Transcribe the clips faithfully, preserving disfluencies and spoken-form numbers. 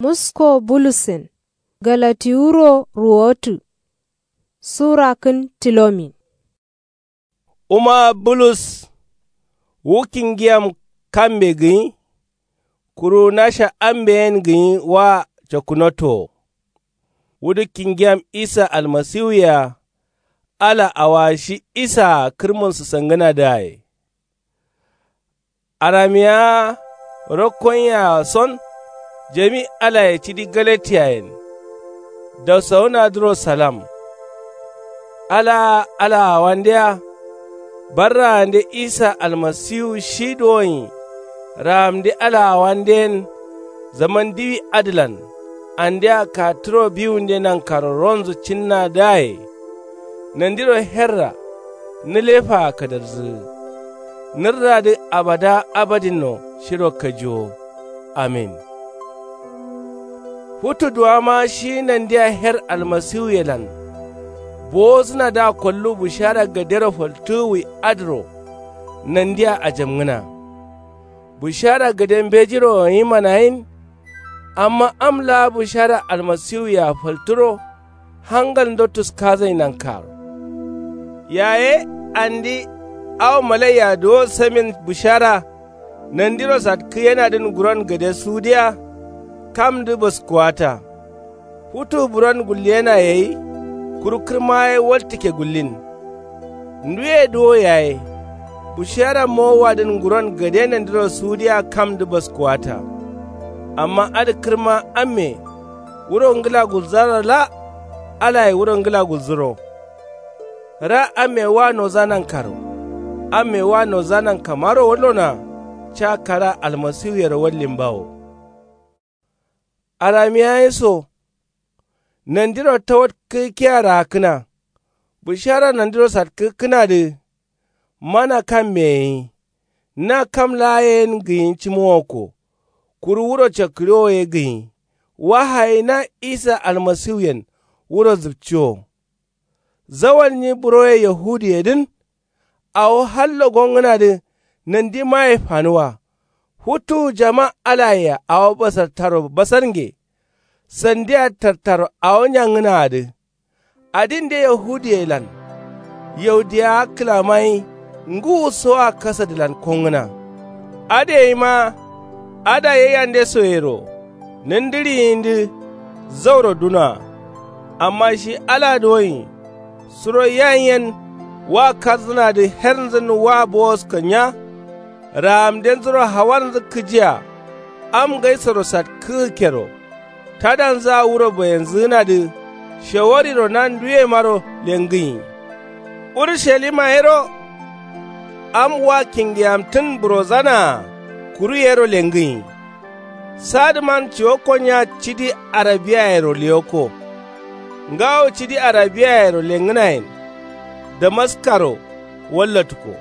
Musko bulusen galatiwuro ruwotǝ. Sura kǝn tilomin. Wuma bulus wu kingiyam kambe gǝnyi. Kuru nasha ambe yen gǝnyi wa cokkunoto wo. Wudǝ kingiyam isa almasiwuyea. Ala awa shi isaa kǝrmun sǝsangǝnadǝaye. Aramiya rokkonyea son jami alaye cidi galatiyayen. Dausawunadǝro salam. Ala alaawandeya. Barraande isa almasiwu shi duwonyi raamde alaawanden. Zaman diwi adǝlan andea katturo biwunde nankaro ronzu cinnadǝaye. Nandiro herra nǝlefaa kadarzǝgǝ. Nǝrradǝ abada abadinno shiro kajiwo. Amin. Futu duwama shi nandia her almasiwuyelan bowozǝnadǝa kollu bushara gadero faltǝgǝwwi adǝro. Nandia ajamngǝna bushara gade mbejiro gǝnyi manayin. Amma am laa bushara almasiwuyea faltǝro hangalndo tuskazai nankaro. Yaye andi awo malaiya duwo samin bushara nandiro satkǝyenadǝn nguron gade sudiya. Kamdǝ baskuwata futu buron gulliyena gai. Kuru kǝrma ye waltǝkke gullin. Nduye duwo yaye bushara mowowadǝn nguron gade nandiro sudiya kamdǝ baskuwata. Amma adǝ kǝrma amme wuro ngǝla gulzaro la. Alaye wuro ngǝla gulzǝro. Ra amme wa noza nankaro. Amme wa noza nankamaro wallona. Ca kara almasiwuyero wallimbawo. Aramiya ye so nandiro tawatkǝgǝkkiya raakkǝna. Bushara nandiro satkǝgǝkkǝnadǝ mana kammeye gǝnyi. Na kam laa yen gǝnyi cǝmowokko. Kuru wuro cakkǝriwo ye gǝnyi. Wahayi na isa almasiwuyen wuro zǝpciwo. Zawal nyi buroye yahudiyedǝn. Awo hallo gongǝnadǝ nandimaye fanuwa. Futuwu jama alayea awo basartaro basarnge. Sandia tartaro awo nyangǝnaadǝ. Adinde yahudiyelan yaudiyawa kǝlamayi. Ngǝwusoa kasadǝlan kongǝna. Adǝ gaima ada yaiyande soyero nǝndǝriyindǝ zauro dunoa. Amma shi ala duwonyi suro yayin yen wa kardzǝnadǝ hernzǝn wa bowoskannya. Raamdenzuro hawarnzǝ kǝjiya am ngaisoro satkǝgǝkkero. Tadanzǝa wuro bayenzǝgǝnadǝ shawariro na nduyemaro lengǝnyi. Urushalima yero am wa kingiyamtǝn burozanaa. Kuru yero lengǝnyi. Sadǝman ciwokkonnya cidi arabiyayero leyokko. Ngawo cidi arabiyayero lengǝnayen damaskaro wallatǝkko.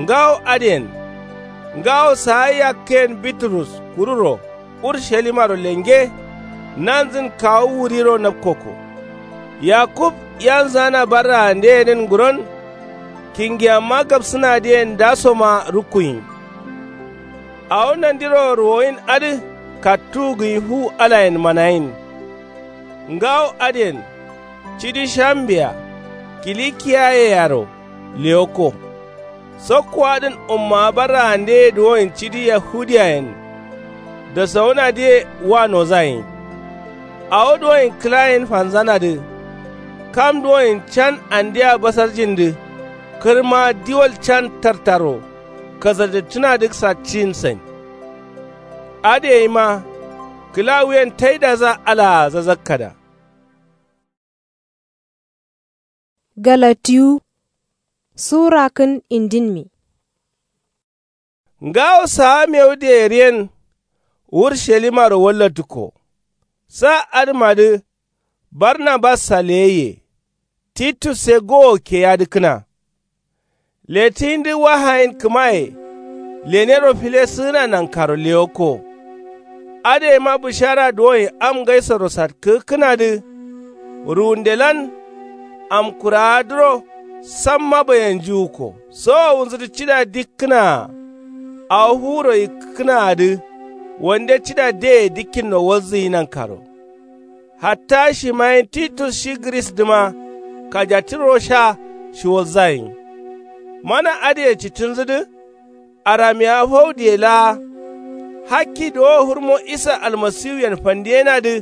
Ngawo adǝyen ngawo saa yakkǝyen biturus kururo urushalimaro lenge. Nanzǝn kawu wuriro napkokko. Yakub yanzana barraandeyedǝn nguron kingiyamma gapsǝnadǝyen ndasoma rukkuyin. Awo nandiro ruwoyin adǝ kattuwu gǝnyi fu alayen manayin. Ngawo adǝyen cidi shambeya kilikiyayeyaro leyokko. Sokkowadǝn ummawa barraandeye duwoyen cidi yahudiyayen dasawunadǝye wa nozayin. Awo duwoyen kǝlayen fanzanadǝ kam duwoyen can andea basarjindǝ kǝrma diwal can tartaro kasadǝttǝnadǝ satciyin sain. Adǝ gaima kǝla wuyen taidadǝa alaa zazakkada. Galatiwu sura kǝn indinmi. Ngawo saa mewude yeriyen urushalimaro wallatǝkko. Sa adǝmadǝ barnabassa leyaiye. Titusse gowo keyadǝkkǝna. Letǝyindǝ wahayin kǝmaye lenero filesǝgǝna nankaro leyokko. Adǝ gaima bǝshara duwoyen am ngaisoro satkǝgǝkkǝnadǝ ruwundelan amkurawadǝro samma bayanjiwukko. Sowowunzudǝ cida dikkǝnaa awo fuwuro yikkǝkkǝnaadǝ. wande cida deye dikkinno walzǝyi nankaro. Hatta shimayin titus shi gǝrisdǝma kajattǝro sha shiwalza gǝnyi. Mana adǝye cittǝnzǝdǝ aramiyawa faudiye laa hakki dowo hurmo isa almasiwuyen fandiyenadǝ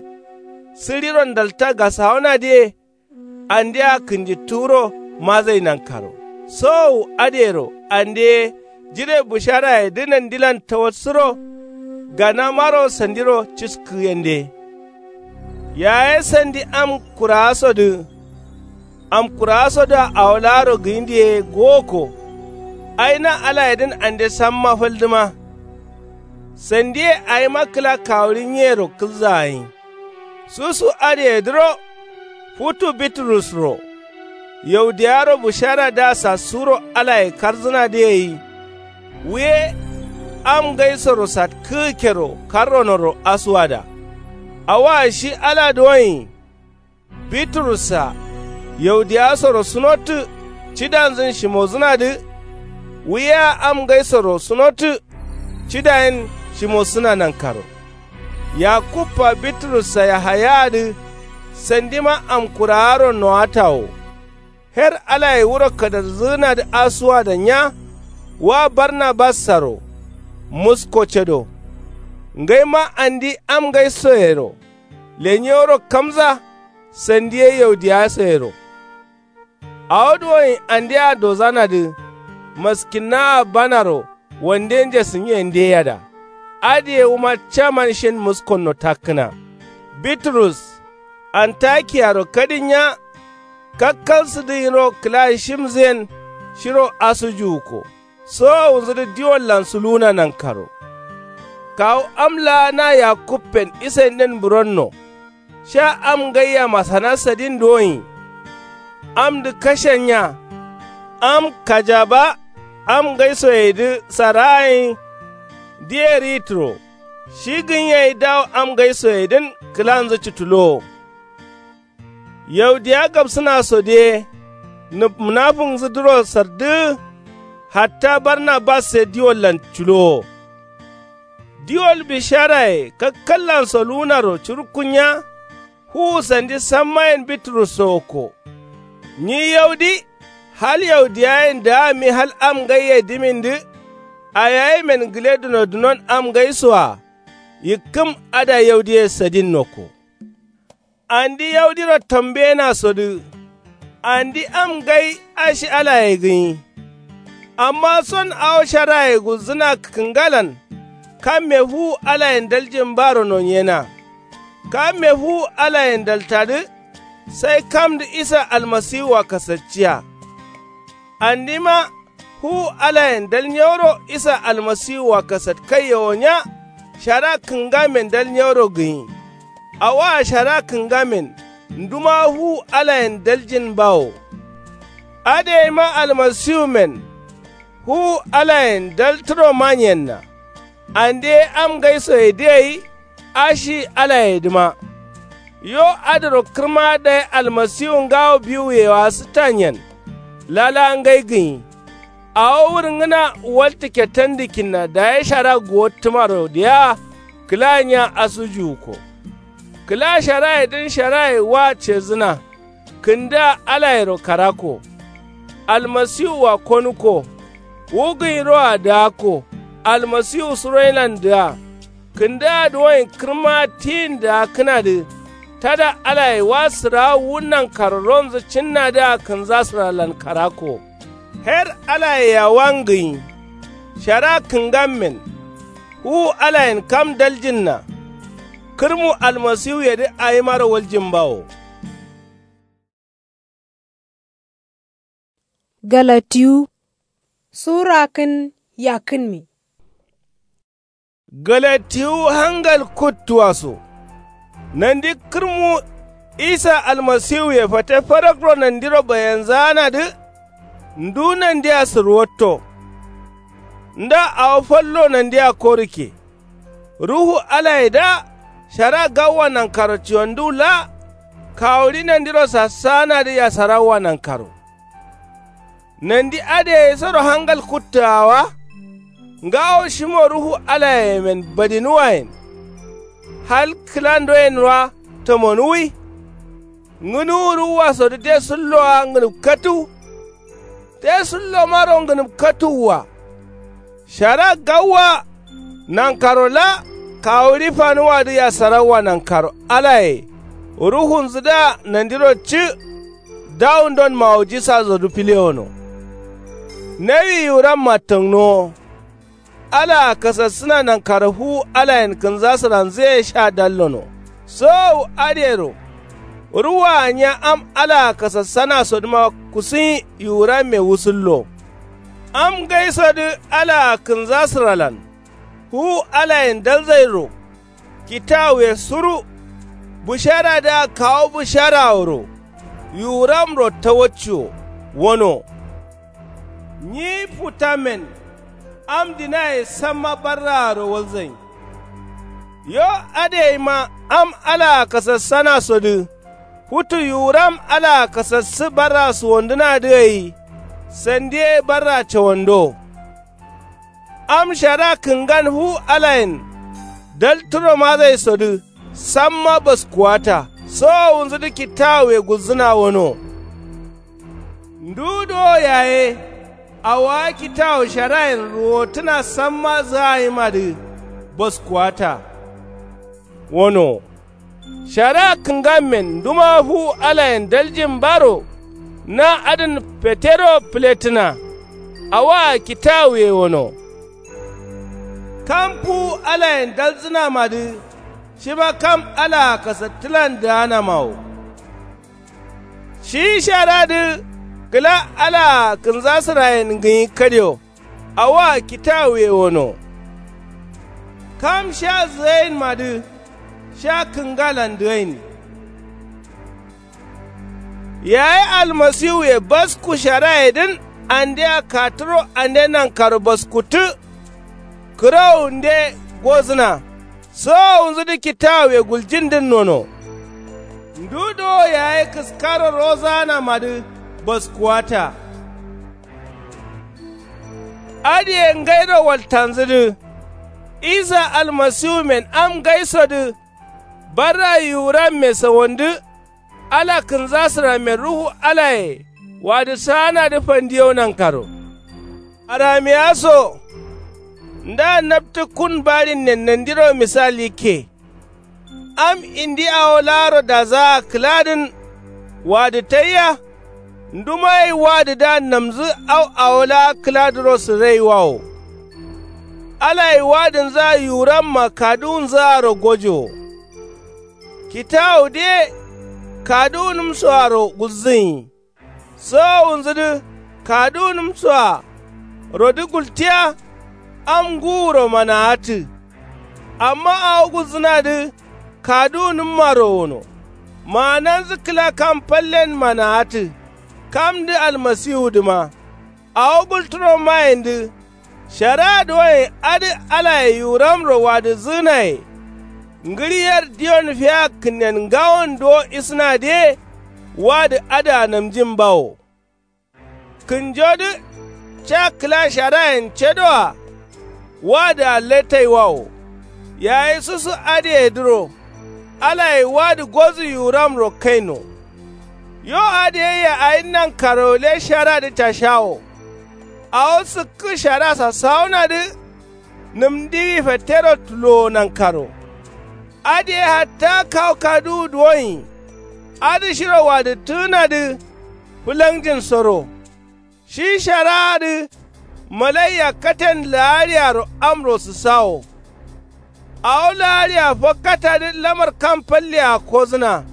sǝriro ndalta gasawonadǝye andea kǝnjittǝwuro mazai nankaro. Sowowu adǝyero ande ye jire bǝsharayedǝ nandilan tawatsǝro ganamaro sandiro ciskǝgǝyende. Yaye sandi am kuraasodǝ amkuraasodǝa awo laaro gǝyindiye gowokko. Ai na alayedǝn ande samma faldǝma. Sandiye awima kǝla kawuɍi nyiyero kǝlzaa gǝnyi. Susu adǝyedǝro futu biturusro yaudiyawaro bǝsharadǝa sassuwuro alaye karjǝnadǝ gai. Wuye am ngaisoro satkǝgǝkkero karronoro asuwada. Awoa shi ala duwonyi biturussa yaudiyawasoro sunottǝ cidanzǝn shimozǝnadǝ. Wuyea am ngaisoro sunottǝ cidayen shimossǝna nankaro. Yakubba biturussa yahayaadǝ sandima amkuraaro nowata wo. Her alaye wuro kadarzǝgǝnadǝ asuwada nya wa barnabassaro musko cado. Ngaima andi am ngaisoyero lenyeworo kamza sandi ye yaudiyasoyero. Awo duwonyi andea dozanadǝ maskinnaa banaro wande njesǝnyiyendeyada. Adǝye wuma caman shin muskonno takkǝna. Biturus antakiyaro kadin nya kakkalsǝdǝ nyiro kǝla shimzǝyen shiro asujuwukko. Sowowunzǝdǝ diwollan suluwuna nankaro. Kawu am laa na yakubben isandin buronno sha am ngaiya masana sadin duwonyi. Amdǝ kashen nya am kajaba am ngaisoyedǝ saraa gǝnyi. Diye ritǝro shi gǝnyi gai dawo am ngaisoyedǝn kǝlanzǝ cǝtulowo. Yaudiya gabsǝna sodǝ ye nǝp munafunnzǝdǝro sardǝgǝ. Hatta barnabas ye diwollan culowo. Diwol bisharaye kakkallan soluwunaro curukkunya. Fuwu sandi sammayen biturusso wokko. Nyi yaudi hal yaudiyayen dǝgami hal am ngaiye dǝmindǝ. Ayayimen gǝle dunodunon am ngaisoa yikkǝm ada yaudiye sadin nokko. Andi yaudiro tambeyenasodǝ. Andi am ngai ashi alaye gǝnyi. Amma son awo sharaye gulzǝna kǝngalan kamme fuwu alayen daljin baro nonyena. Kamme fuwu alayen daltadǝ sai kamdǝ isa almasiwua kasacciya. Andima fuwu alayen dal nyaworo isa almasiwua kasatkaiye wo nya. Shara kǝngamen dal nyaworo gǝnyi. Awoa shara kǝngamen ndumawa fuwu alayen daljin bawo. Adǝ yaima almasiwumen fuwu alayen dal tǝro manyenna. Ande ye am ngaisoyedǝ gai ashi alayedǝma. Yo adǝro kǝrma dayi almasiwu ngawo biwuye wasǝttanyen. Lala ngai gǝnyi. Awo wurngǝna waltǝ ketandǝkkinna dayi shara guwottǝmaro diya. Kǝla nya asujuwukko. Kǝla sharayedǝn sharaye wa cedzǝna. Kǝndǝa alayero karakko. Almasiwua konukko. Wu gǝnyiroa dǝgakko. Almasiwu suroinandǝa. Kǝndǝa duwonyi kǝrma tiyin dǝgakkǝnadǝ. Tada alaye wa sǝrawu wu nankaro ronzǝ cinnadǝa kǝnza sǝralan karakko. Her alaye yawan gǝnyi. Shara kǝngammen. Fuwu alayen kam daljinna. Kǝrmu almasiwuyedǝ awimaro waljin bawo. Galatiwu sura kǝn yakkǝnmi. Galatiwu hangal kuttuwa so. Nandi kǝrmu isa almasiwuye fate farakro nandiro bayanzaanadǝ. Ndu nandia sǝrwatto. Nda awo fallo nandia korukke. Ruhu alayedǝa shara gawwa nankaro ciwanduwu laa. Kawuɍi nandiro sassaanadǝ yasarawwa nankaro. Nandi adǝ yaisoro hangal kuttuawa. Ngawo shimo ruhu alayemen badinuwayen. Hal kǝlandoyenwa tamonuwwi. Ngǝnuwu ruwuwasodǝ te sullowa ngǝnǝpkatǝw. Te sullomaro ngǝnǝpkatǝwwa. Shara gawwa. Nankaro la kawuri fanuwadǝ yasarawwa nankaro alaye. Ruhunzǝdǝa nandiro cǝ. Dawundon mawujisasodu filewono. Nawi yiwuramma tǝngnowo. Alaa kasassǝna nankaro fuwu alayen kǝnzasǝranzǝye sha dallono. Sowowu adǝyero. Ruwaa nya am alaa kasassanasodǝma kusuyin yiwuramme wusullo. Am ngaisodǝ alaa kǝnzasǝralan. Fuwu alayen dalzairo. Kitawuye suru. Bǝsharadǝa kawu bǝsharaworo. Yiwuramro tawacciwo. Wono. Nyi futammen. Am dinaye samma barraaro walzain. Yo adǝ yaima am alaa kasassanasodǝ. Futu yiwuram alaa kasassǝ barra suwondǝnadǝ gai. Sandi ye barra cawando. Am shara kǝngan fu alayen. Dal turo mazaisodǝ samma baskuwata. Sowowunzudǝ kitawuye gulzǝna wono. Ndu dowo yaye. Awowa kitawu sharayen ruwotǝna samma zǝgayimadǝ. Baskuwata. Wono. Shara kǝngammen nduma fuwu alayen daljin baro. Na adǝn petero fǝlettǝna. Awoa kitawuye wono. Kam fuwu alayen dalzǝnamadǝ. Shima kam alaa kasattǝlan dǝganama wo. Shi sharadǝ kǝla alaa kǝnzasǝrayen ngǝnyi kadio. Awoa kitawuye wono. Kam sha zǝgainmadǝ. Sha kǝngalan dǝgain. Yayi almasiwuye basku sharayedǝn andea katuro ande nankaro baskuttǝ. Kǝrowunde gozǝna. Sowowunzudǝ kitawuye guljindǝn nono. Ndu dowo yaye kǝskaro rozaganamadǝ. Baskuwata. Adǝye ngairo waltanzǝdǝ. Isa almasiwumen am ngaisodǝ. Barra yiwuramme sawandǝ. Ala kǝnzasǝrammen ruhu alaye. Wadǝ saanadǝ fandiyo nankaro. Aramiya so. Nda naptǝ kun barinnen nandiro misal yikke. Am indi awo laaro dazaa kǝladǝn. Wadǝ taiya. Ndumagai wadǝdǝa namzǝ au awo laa kǝladǝro sǝraiwawo. Alai wadǝnzǝa yiwuramma kaduwunzǝaro gojowo. Kitawudǝye kaduwunǝmsoaro gulzǝnyi. Sowowunzǝdǝ kaduwunǝmsoa rodǝ gultiya. Am ngǝwuro manawattǝ. Amma awo gulzǝnadǝ kaduwunǝmmaro wono. Maananzǝ kǝla kam fallen manawattǝ. Kamdǝ almasiwudǝma. Awo gultǝro mayendǝ. Shara duwoyen adǝ alaye yiwuramro wadǝzǝgǝnaye. Ngǝɍi yer diyon fiya kǝnnen ngawon duwo isǝnadǝye. Wadǝ adǝa namjin bawo. Kǝnjodǝ ca kǝla sharayen cedoa. Wadǝa letaiwawo. Yayi susu adǝyedǝro. Alaye wadǝ gozǝ yiwuramro kaino. Yo adǝ yayya awi nankaro gǝle sharadǝ cashawo. Awo sǝkkǝ shara sasawunadǝ. Nǝm ndiwi fattero tulowo nankaro. Adǝ ye hatta kawu kaduwu duwonyi. Adǝ shiro wadǝttǝgǝnadǝ. Fǝlangjinsoro. Shi sharadǝ. Malaiya katen la'ariyaro amro sǝsawo. Awo la'ariya fakkatadǝ lamar kam fallea kozǝna.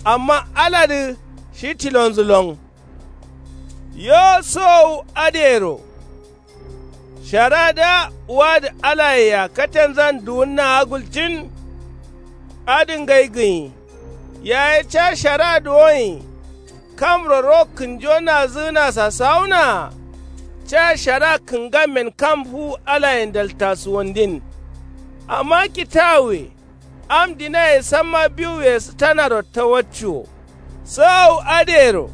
Amma aladǝ shi tilonzǝ lon. Yo sowowu adǝyero. Sharadǝa wadǝ alayea katenzan duwunnaa gulcin. Adǝ ngai gǝnyi. Yaye ca shara duwonyi. Kamro ro kǝnjo nazǝgǝna sasawunaa. Ca shara kǝngammen kam fuwu alayen daltasuwandin. Amma kitawuwe. Am dinaye samma biwuye sǝtanaro tawacciwo. Sowowu adǝyero.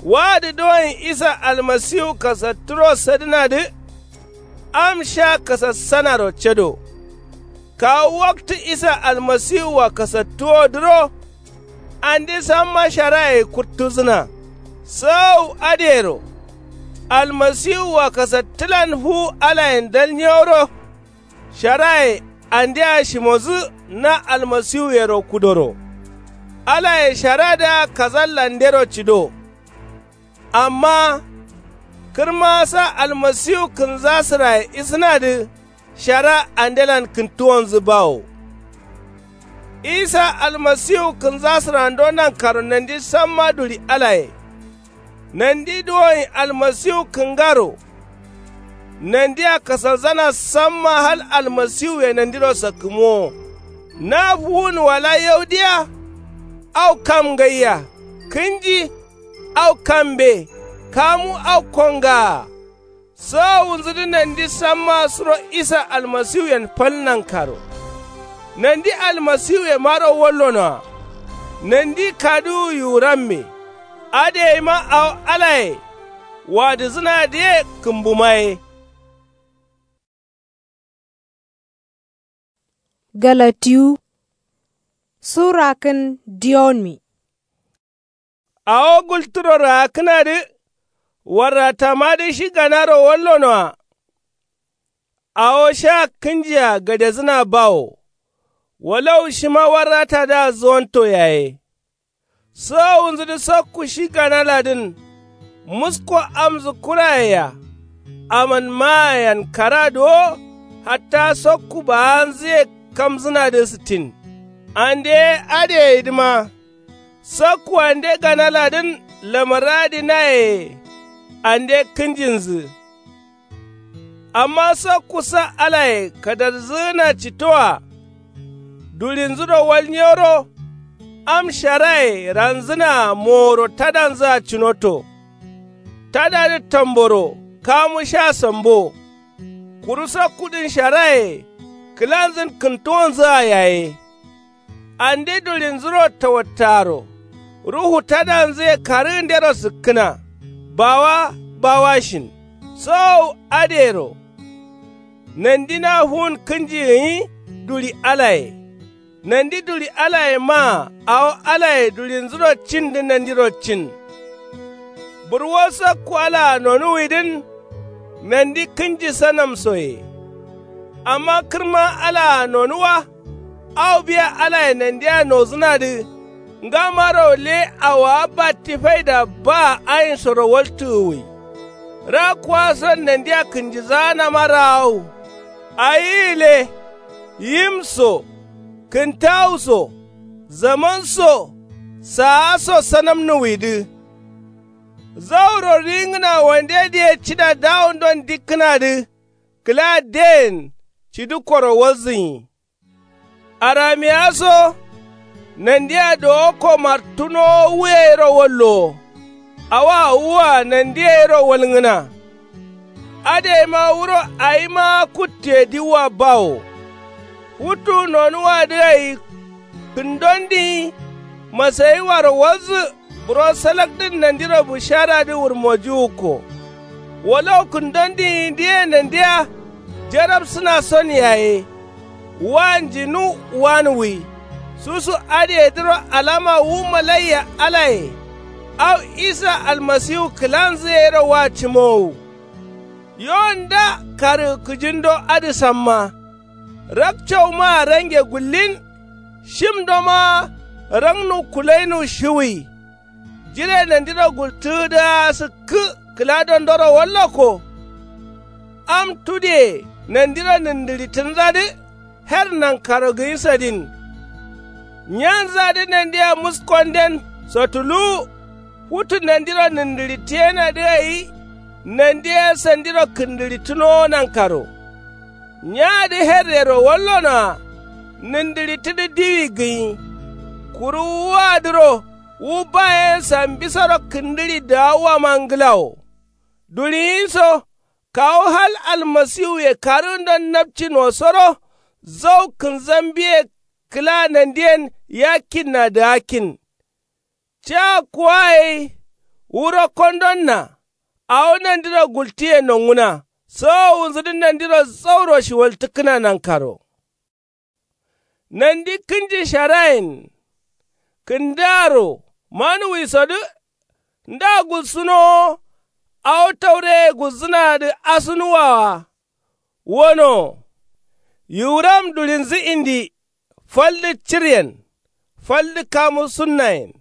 Wadǝ duwonyi isa almasiwu kasattǝro sadǝnadǝ. Am sha kasassanaro cado. Kawu waktǝ isa almasiwua kasattuwodǝro andi samma sharaye kuttuzǝna. Sawu adǝyero almasiwua kasattǝlan fuwu alayen dalnyeworo. Sharaye andea shimodǝ na almasiwuyero kudoro. Alaye sharadǝa kazallandero cido. Amma kǝrma sa almasiwu kǝnzasǝraye isǝnadǝ shara andelan kǝntuwonzǝ bawo. Isa almasiwu kǝnzasǝrando nankaro nandi samma duli alaye. Nandi duwonyi almasiwu kǝngaro. Nandia kasalzana samma hal almasiwuye nandiro sakkǝmowo. Na fuwun wala yau diya? Au kam ngaiya? Kǝnji au kambe? Kamu au kongaa? Sowowunzudǝ nandi samma suro isa almasiwuyen fal nankaro. Nandi almasiwuyemaro wallonoa. Nandi kaduwu yiwuramme. Adǝ yaima awo alaye wadǝzǝnadǝye kǝmbumaye. Galatiyu sura kǝn diyonmi. Awo gulturo raakkǝnadǝ warratamadǝ shi ganaro wallonoa. Awo sha kǝnjea gadezǝna bawo. Walau shima warratadǝa zuwanto yaye. Sowowunzudǝ sokku shi ganaladǝn. Musko amzǝ kurayeya. Aman maayan karadǝ wo. Hatta sokku baanzǝye kamzǝnadǝ sǝttin. Ande ye adǝ yeyidǝma. Sokku ande ganaladǝn lamarradǝ nayeye. Ande kǝnjinzǝ. Amma sokku sa alaye kadarzǝgǝna cittoa. Dulinzuro walnyeworo. Am sharaye ranzǝnaa moworo tadanzǝa cinoto. Tadadǝ tamboro kamu sha sambo. Kuru sokkudǝn sharaye kǝlanzǝn kǝntuwonzǝa yaye. Ande dulinzuro tawattaaro. Ruhu tadanzǝye karǝgǝndero sǝkkǝna. Bawa bawashin. Sowowu adǝyero. Nandi na fuwun kǝnji gǝnyi duli alaye. Nandi duli alaye maa awo alaye dulinzuro cindǝ nandiro cin. Burwo sokku alaa nonuwidǝn. Nandi kǝnji sanamsoye. Amma kǝrma alaa nonuwa. Au biya alaye nandia nozǝnadǝ. Ngamaro le awowa batti faida baa ainsoro waltǝgǝwwi. Rakkuwason nandia kǝnjizaanama raawu. Awi gǝle. Yim so. Kǝntawu so. Zaman so. Saa so sanamnuwwidǝ. Zauro ringǝna wande diye cida dawundon dikkǝnadǝ. Kǝla den cidǝkkoro walzǝnyi. Aramiya so. Nandia dowokko martunowo wuyeyero wallowo. Awoa wua nandiye yero walngǝna. Adǝ yeima wuro awima kuttuye diwwa bawo. Futu nonuwadǝ gai kǝndondǝnyi masayiwaro walzǝ. Buro salakdǝn nandiro bisharadǝ wurmojiwukko. Walau kǝndondǝnyi diye nandia jarabsǝna son yaye. Wanjinu wanwi. Susu adǝyedǝro alama wu malaiya alaye. Au isa almasiwu kǝlanzǝ yero wa cimowu. Yo nda karǝgǝ kǝjindo adǝ samma. Rakcau maa range gullin. Shimdo maa rangnu kulainu shiwui. Jire nandiro gultǝgǝdǝa sǝkkǝ kǝla dondoro wallokko. Am tudiye nandiro nǝndǝɍitǝnzadǝ. Her nankaro gǝnyi sadin. Nyanzadǝ nandia muskonden sotuluwu. Futu nandiro nǝndǝɍitǝyenadǝ gai. Nandi ye sandiro kǝndǝɍitǝnowo nankaro. Nyaadǝ herrero wallonoa. Nǝndǝɍitǝdǝ diwi gǝnyi. Kuru wuwadǝro wu bayen sambisoro kǝndǝɍi daawuwama nglawo. Duɍiyin so. Kawu hal almasiwuye karǝgǝndon napcin wosoro. Zau kǝnzambiye kǝla nandiyen yakkinna dǝgakkin. Ca kuwa gai wuro kondonna. Awo nandiro gultiye nonguna. Sowowunzudǝ nandiro zauro shiwaltǝkkǝna nankaro. Nandi kǝnji sharayen kǝndaaro manuwisodǝ nda gulsǝnowo. Awo taureye gulzǝnadǝ asunuwawa. Wono yiwuram dulinzǝ indi. Faldǝ ciryen faldǝ kamu sunnayen.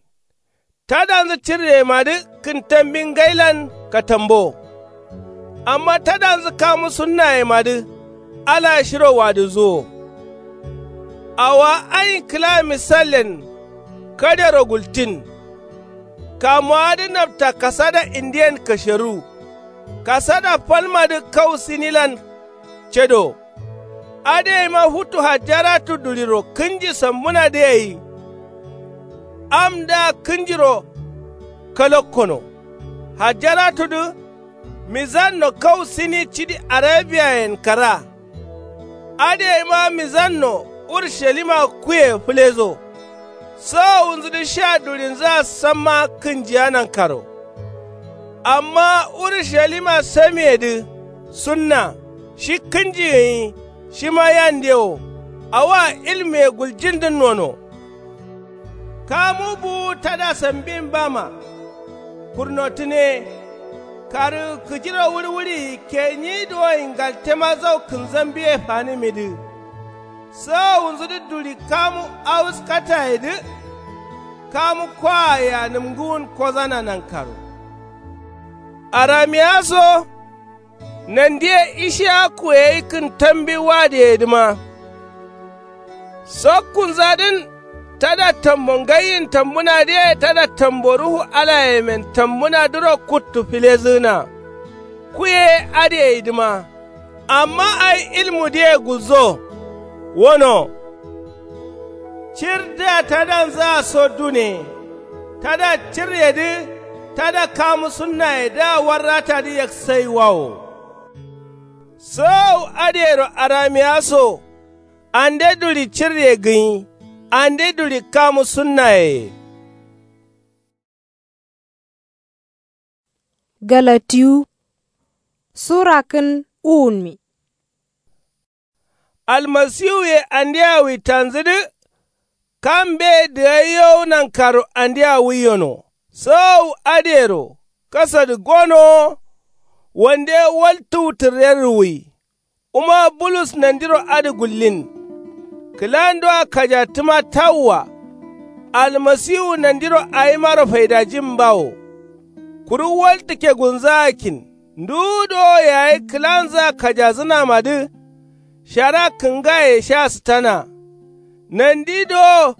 Tadanzǝ ciryemadǝ kǝntambi ngailan katambo. Amma tadanzǝ kamu sunnayemadǝ ala shiro wadǝzuwo. Awowa ain kǝla misallen kadero gultin. Kamuwadǝ nabta kasada indiyen kasheru. Kasada falmadǝ kau sinilan cedo. Adǝ yaima futu hajjaratu duliro kǝnji sambunadǝ yayi. Amdǝa kǝnjiro kalakkono. Hajjaratudǝ mizanno kau sini cidi arabiyayen kara. Adǝ yaima mizanno urushalima kuye fǝlezo. Sowowunzudǝ sha dulinzǝa samma kǝnjiya nankaro. Amma urushalima samiyedǝ sunna shi kǝnji gǝnyi. Shima yande wo awoa ilmuye guljindǝn nono. Kamu buwu tada sambin bama. Kurnotǝne karǝ kǝjiro wulwuliyi kenyi duwoyin galtema zau kǝnzambiye fanǝmidǝ. Sowowunzudǝ duli kamu awuskatayedǝ. Kamu koaye anǝmgǝwun kozana nankaro. Aramiya so nandiye ishiyaku ye yi kǝntambi wadǝyedǝma. Sokkunzadǝn tada tambo ngaiyin tambunadǝye tada tambo ruhu alayemen tambunadǝro kuttu filezǝgǝna. Kuye adǝyeidǝma. Amma ai ilmudǝye gulzo. Wono cirdǝa tadanzǝa so dune. Tada ciryedǝ tada kamu sunnayedǝa warratadǝ yaksaiwawo. Sowowu adǝyero aramiya so ande duli cirye gǝnyi. Ande duli kamu sunnayeye. Galatiyu sura kǝn uwunmi. Almasiwuye andea witanzǝdǝ. Kam mbe dǝgaiyowu nankaro andea wuiyono. Sowowu adǝyero kasadǝ gonowo. Wande waltuwu tǝrrerǝ wui. Wuma bulus nandiro adǝ gullin. Kǝlandoa kajattǝma tawwa. Almasiwu nandiro awimaro faidajin bawo. Kuru waltǝ kegunzǝgakkin nduwu dowo yayi kǝlanzǝa kajazǝnamadǝ. Shara kǝngaye sha sǝtana. Nandi dowo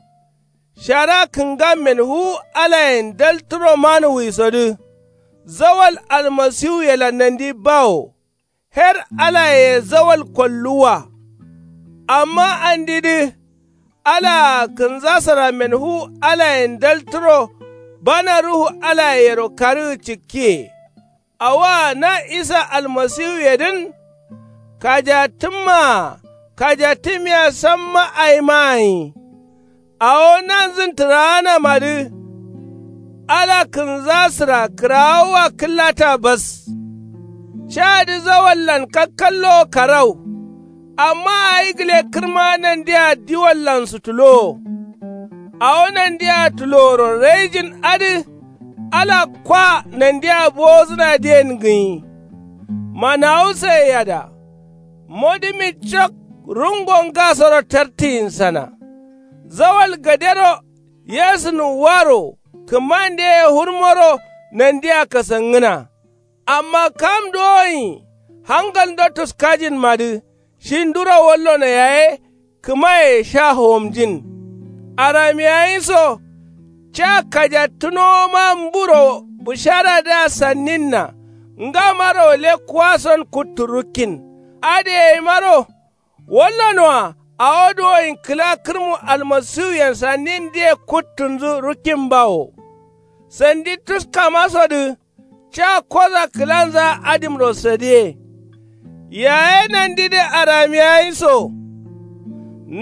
shara kǝngammen fuwu alayen daltǝro manuwisodǝ. Zawal almasiwuyelan nandi bawo. Her alayeye zawal kolluwwa. Amma andidǝ alaa kǝnzasǝrammen fuwu alayen daltǝro. Bana ruhu alayeyero karǝgǝ cikkiye. Awoa na isa almasiwuyedǝn. Kajattǝmmaa kajattǝmiya samma awima gǝnyi. Awo nanzǝn tǝraanamadǝ. Ala kǝnzasǝra kǝrawoa kǝllata bas. Cadǝ zawallan kakkallowo karau. Amma awi gǝle kǝrma nandia diwallan sutulowo. Awo nandia tuloworo raijin adǝ. Ala kwa nandia bowozǝnadǝyen gǝnyi. Manawu saiyada. Modǝmi cok rungo ngasoro tartǝyinsana. Zawal gadero yesǝnǝwwaro kǝmandeye fǝrmoro nandia kasangǝna. Amma kam dowoyin hangalndo tuskajinmadǝ shi nduro wallono yaye. Kǝmaye sha howomjin. Aramiya gǝnyi so ca kajattǝnowoma mburo bǝsharadǝa sanninna. Ngamaro lekkuwason kuttu rukkin. Adǝ yaimaro wallonoa awo duwoyin kǝla kǝrmu almasiwuyen sannindǝye kuttunzǝ rukkin bawo. Sandi tuskamasodǝ ca koza kǝlanzaa adǝmro sadiye. Yaye nandidǝ aramiya gǝnyi so.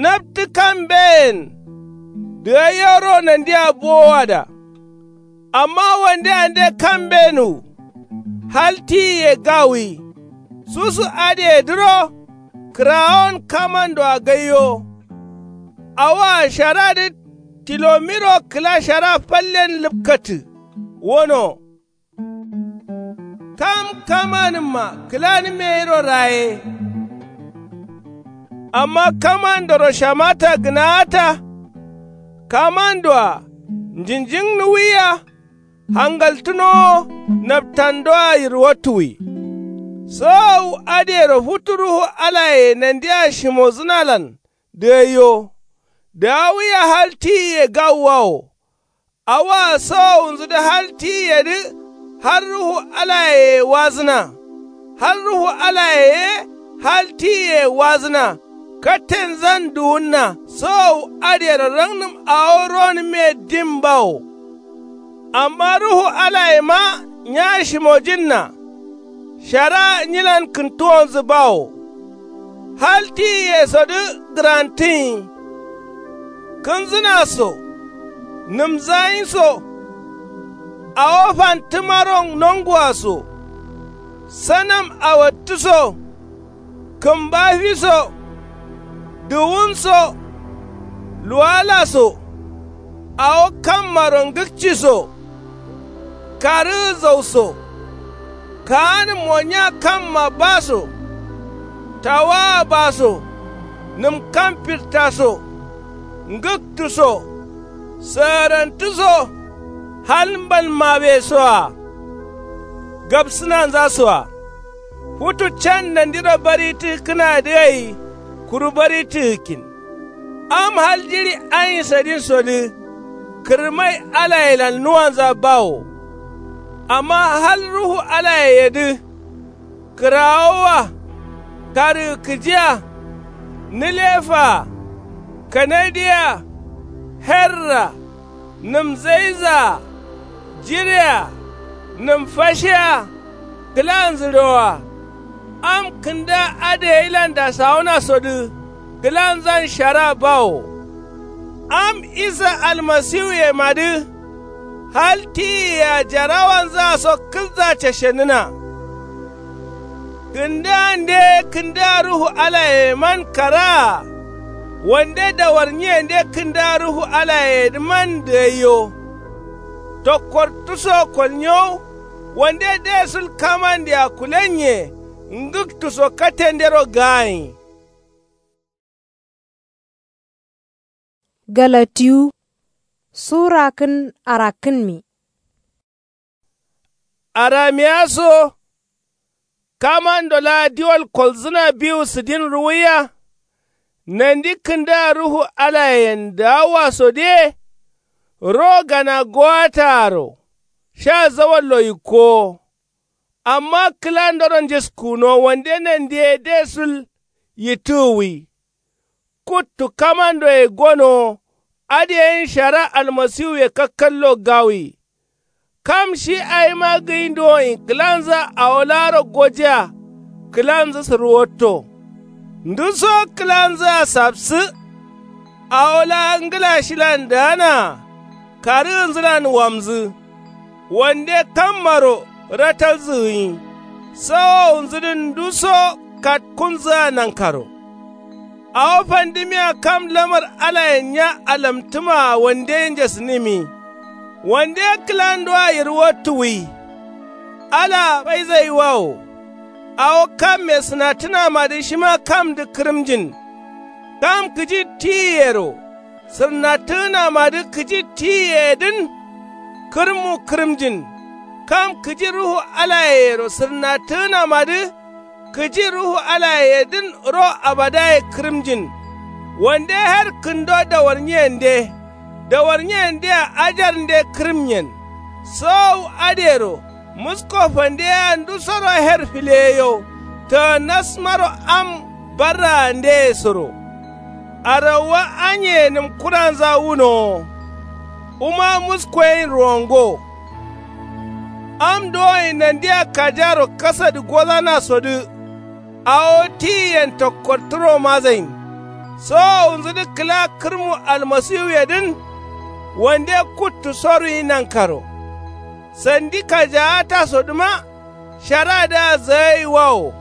Naptǝ kam mbeyen dǝgaiyoro nandia bowowada. Amma wande ande kam mbenuwu. Hal tiyiye gawuyi. Susu adǝyedǝro kǝrawon kamandoa gaiyo. Awoa sharadǝ tilomiro kǝla shara fallen lǝpkatǝ. Wono kam kamanǝmma kǝlanǝmme yero raye. Amma kamandoro shamata gǝnaata. Kamandoa njǝnjǝngnuwiya hangaltǝnowo. Naptandoa yirwattuwi. Sowowu adǝyero futu ruhu alaye nandia shimozǝnalan dǝgaiyo. Dǝgawuya hal tiyiye gawuwawo. Awoa sowowunzudǝ hal tiyiyedǝ har ruhu alayeye wazǝna. Har ruhu alaye ye hal tiyiye wazǝna. Kattenzan duwunna sowowu adǝyero rangnǝm awo ronǝmye dim bawo. Amma ruhu alayema nya shimojinna. Shara nyilan kǝntuwonzǝ bawo. Hal tiyiyesodǝ gǝrantǝnyi. Kǝnzǝna so. Nǝmzanyinso. Awo fantǝmaro nongua so. Sanam awattǝ so. Kǝmbafi so. Duwun so. Luwala so. Awo kammaro ngǝkci so. Karǝgǝ zau so. Kaanǝmmo nya kamma ba so. Tawaa ba so. Nǝm kam firta so. Ngǝktu so. Sǝgǝrantǝ so. Hal mbalmawe soa. Gabsǝnanza soa. Futu can nandiro baritǝkkǝnadǝ gai. Kuru baritǝkkin. Am hal jiɍi anyi sadinsodǝ. Kǝrmai alayelan nuwanza bawo. Amma hal ruhu alayeyedǝ. Kǝrawowa. Karǝgǝ kǝjiya. Nǝlefaa. Kanadiya. Herra. Nǝmzaizaa. Jirea. Nǝmfashiya. Kǝlanzǝ roa. Am kǝnda adǝgailan dasawunasodǝ. Kǝlanzan shara bawo. Am isa almasiwuyemadǝ. Hal tiyiyea jarawanzaa so kǝlza cashenǝna. Kǝndande kǝnda ruhu alayeyeman karaa. Wande dawarnyiyende kǝnda ruhu alayeyedǝman dǝgaiyo. Tokkortǝ so kolnyow. Wande desul kamandea kulennye. Ngǝktu so kattendero gaanyi. Galatiyu. Sura kǝn arakkǝnmi. Aramiya so. Kamando laa diwal kolzǝna biwu sǝdin ruwuiya. Nandi kǝnda ruhu alayen dǝgawasodiye. Ro gana gowataaro. Sha zawallo yikkowo. Amma kǝlandoron njiskuno wande nandiye desul yittǝgǝwi. Kuttu kamandoye gonowo. Adǝ yen shara almasiwuye kakkallo gawi. Kam shi awima gǝyinduwonyi kǝlanza awo laaro gojiya. Kǝlanzǝ sǝrwotto. Nduso kǝlanzǝa sapsǝ. Awo laa ngǝla shilan daanaa. Karǝgǝnzǝlan wamzǝ. Wande kammaro ratalzǝ gǝnyi. Sawowunzudǝn nduso katkunzǝa nankaro. Awo fandimiya kam lamar alayen nya alamtǝmaa wande njesǝnǝmi. Wande kǝlandoa yirwattuwi. Alaa faizaiwawo. Awo kamme sǝnattǝnamadǝ shima kamdǝ kǝrǝmjin. Kam kǝji tiyiyero. Sǝrnattǝgǝnamadǝ kǝji tiyiyeyedǝn. Kǝrǝmmu kǝrǝmjin. Kam kǝji ruhu alayeyero sǝrnattǝgǝnamadǝ. Kǝji ruhu alayeyedǝn ro abadaye kǝrǝmjin. Wande her kǝndo dawarnyiyende. Dawarnyiyendea ajarnde kǝrǝmyen. Sowowu adǝyero. Musko fandeyea ndusoro her fileyeyo. Tǝgǝnnasmaro am barraandeye soro. Arawwa anyeye nǝmkuranza wunowo. Wuma musko yen ruwango. Am dowoye nandia kajaro kasadǝ gozanasodǝ. Awo tiyiyen tokkortǝro mazain. Sowowunzudǝ kǝla kǝrmu almasiwuyedǝn. Wande kuttu soruyi nankaro. Sandi kajaatasodǝma. Sharadǝa zagaiwawo.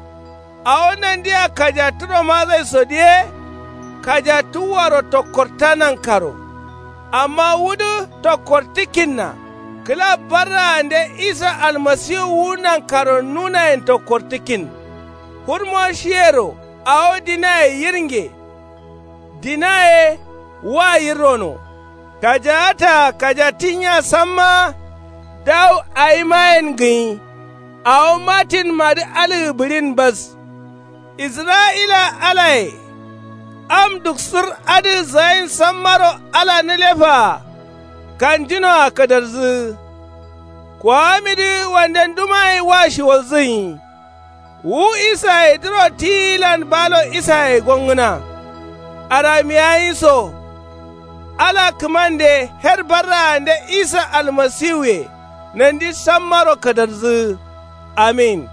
Awo nandia kajatturo mazaiso diye. Kajattuwwaro tokkorta nankaro. Amma wudǝ tokkortǝkkinna. Kǝla barraande isa almasiwu wu nankaro nunayen tokkortǝkkin. Hurmo shiyero awo dinaye yirnge. Dinaye wa yirrono. Kajaata kajattinya samma. Dawu awimayen gǝnyi. Awo mattinmadǝ alǝgǝ bǝɍin bas. Isra'ila alaye. Am duksǝr adǝ zayin sammaro ala nǝlefaa. Kanjinoa kǝdarzǝgǝ. Kuwamidǝ wande ndumayi wa shiwalzǝnyi. Wu isaye duro tiyilan balo isaye gongǝna. Aramiyayi so. Ala kǝmande her barraande isa almasiwuye. Nandi sammaro kǝdarzǝgǝ. Amin.